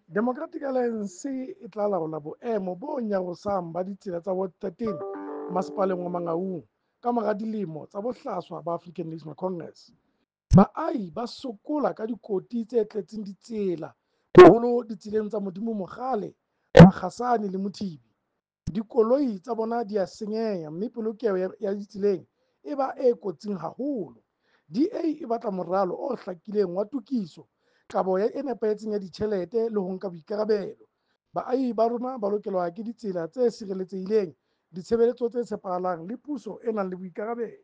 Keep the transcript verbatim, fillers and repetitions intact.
Democratic Alliance e tla laola boemo bo nyarosang ba ditsela tsa Ward thirteen masepaleng wa Mangaung kamora dilemo tsa bohlaswa ba African National Congress. Baahi ba sokola ka dikoti tse tletseng ditsela, boholo ditseleng tsa Modimo Mogale, Makgasane le Mothibi. Dikoloi tsa bona di a senyeha mme polokeho ya ditseleng e ba e kotsing haholo. D A e batla moralo o hlakileng wa tokiso, kabo e nepahetseng ya ditjhelete le ho nka boikarabelo. Baahi ba rona ba lokelwa ke ditsela tse sireletsehileng, ditshebeletso tse tshepahalang le puso e nang le boikarabelo.